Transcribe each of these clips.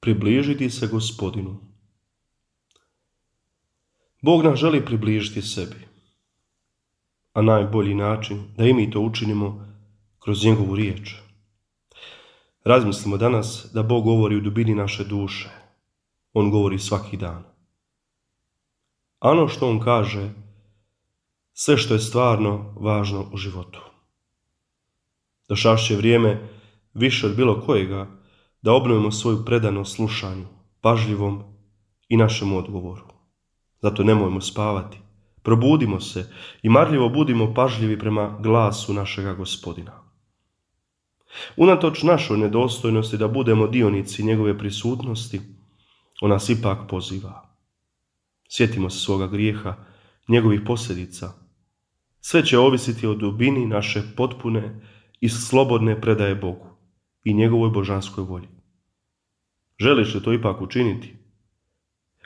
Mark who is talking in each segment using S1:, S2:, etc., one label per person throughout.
S1: Približiti se Gospodinu. Bog nas želi približiti sebi, a najbolji način da i mi to učinimo kroz njegovu riječ. Razmislimo danas da Bog govori u dubini naše duše. On govori svaki dan. A ono što on kaže, sve što je stvarno važno u životu. Došašće vrijeme više od bilo kojega da obnovimo svoju predanost slušanju, pažljivom i našem odgovoru. Zato nemojmo spavati, probudimo se i marljivo budimo pažljivi prema glasu našega Gospodina. Unatoč našoj nedostojnosti da budemo dionici njegove prisutnosti, on nas ipak poziva. Sjetimo se svoga grijeha, njegovih posljedica. Sve će ovisiti o dubini naše potpune i slobodne predaje Bogu i njegovoj božanskoj volji. Želiš li to ipak učiniti?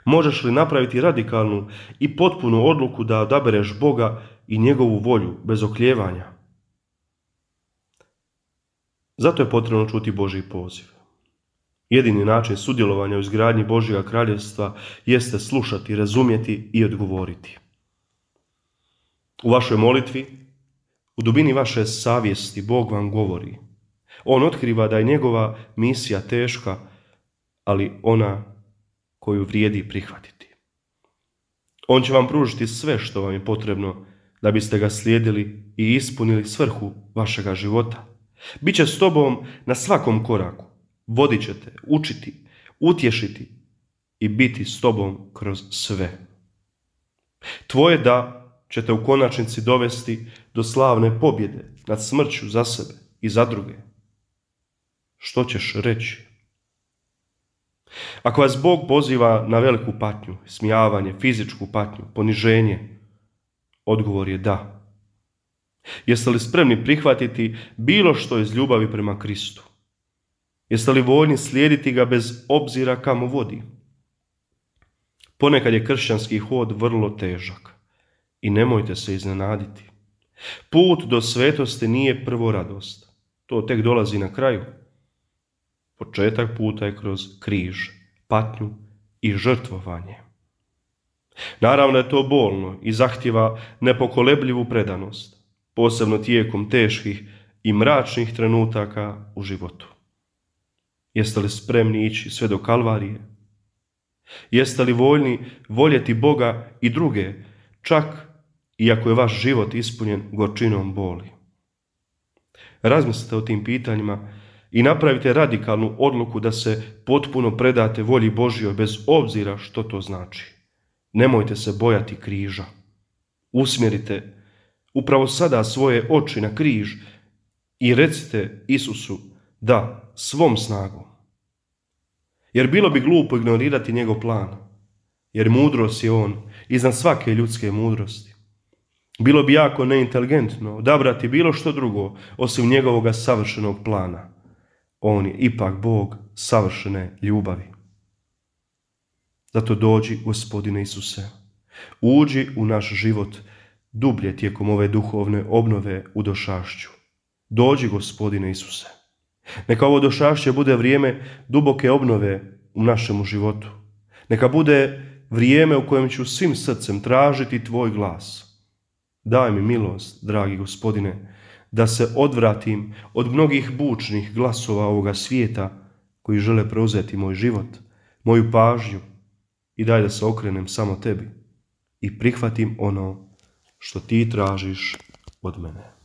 S1: Možeš li napraviti radikalnu i potpunu odluku da odabereš Boga i njegovu volju bez oklijevanja? Zato je potrebno čuti Božji poziv. Jedini način sudjelovanja u izgradnji Božjega kraljevstva jeste slušati, razumjeti i odgovoriti. U vašoj molitvi, u dubini vaše savjesti, Bog vam govori. On otkriva da je njegova misija teška, ali ona koju vrijedi prihvatiti. On će vam pružiti sve što vam je potrebno da biste ga slijedili i ispunili svrhu vašega života. Biće s tobom na svakom koraku. Vodit će te, učiti, utješiti i biti s tobom kroz sve. Tvoje da će te u konačnici dovesti do slavne pobjede nad smrću za sebe i za druge. Što ćeš reći? Ako vas Bog poziva na veliku patnju, smijavanje, fizičku patnju, poniženje, odgovor je da. Jeste li spremni prihvatiti bilo što iz ljubavi prema Kristu? Jeste li voljni slijediti ga bez obzira kamo vodi? Ponekad je kršćanski hod vrlo težak i nemojte se iznenaditi. Put do svetosti nije prvo radost. To tek dolazi na kraju. Početak puta je kroz križ, patnju i žrtvovanje. Naravno je to bolno i zahtijeva nepokolebljivu predanost, posebno tijekom teških i mračnih trenutaka u životu. Jeste li spremni ići sve do Kalvarije? Jeste li voljni voljeti Boga i druge, čak iako je vaš život ispunjen gorčinom boli? Razmislite o tim pitanjima i napravite radikalnu odluku da se potpuno predate volji Božjoj bez obzira što to znači. Nemojte se bojati križa. Usmjerite upravo sada svoje oči na križ i recite Isusu da svom snagom. Jer bilo bi glupo ignorirati njegov plan, jer mudrost je on iznad svake ljudske mudrosti. Bilo bi jako neinteligentno odabrati bilo što drugo osim njegovoga savršenog plana. On je ipak Bog savršene ljubavi. Zato dođi, Gospodine Isuse, uđi u naš život dublje tijekom ove duhovne obnove u došašću. Dođi, Gospodine Isuse. Neka ovo došašće bude vrijeme duboke obnove u našemu životu. Neka bude vrijeme u kojem ću svim srcem tražiti tvoj glas. Daj mi milost, dragi Gospodine, da se odvratim od mnogih bučnih glasova ovoga svijeta koji žele preuzeti moj život, moju pažnju i daj da se okrenem samo tebi i prihvatim ono što ti tražiš od mene.